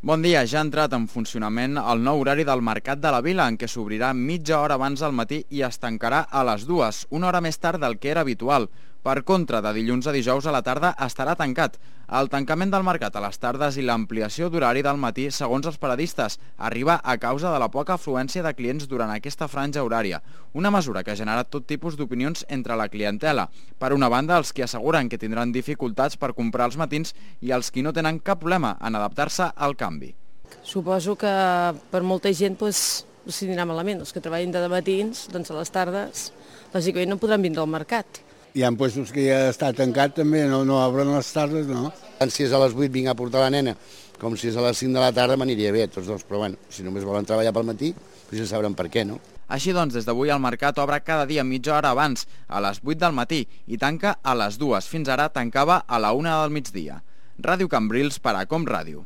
Bon dia, ja ha entrat en funcionament el nou horari del Mercat de la Vila, en què s'obrirà mitja hora abans del matí i es tancarà a les 2, una hora més tard del que era habitual. Per contra, de dilluns a dijous a la tarda estarà tancat. El tancament del mercat a les tardes i l'ampliació d'horari del matí, segons els paradistes, arriba a causa de la poca afluència de clients durant aquesta franja horària, una mesura que ha generat tot tipus d'opinions entre la clientela. Per una banda, els que asseguren que tindran dificultats per comprar els matins i els que no tenen cap problema en adaptar-se al canvi. Suposo que per molta gent s'hi anirà malament. Els que treballen de matins, doncs a les tardes, lògicament no podran vindre al mercat. Hi ha puestos que ja està tancat també, no obren les tardes, no? Si és a les 8 vinc a portar la nena, com si és a les 5 de la tarda m'aniria bé, tots dos, però bueno, si només volen treballar pel matí, doncs ja sabran per què, no? Així doncs, des d'avui el mercat obre cada dia mitja hora abans, a les 8 del matí, i tanca a les 2. Fins ara tancava a la 1 del migdia. Ràdio Cambrils per a Com Ràdio.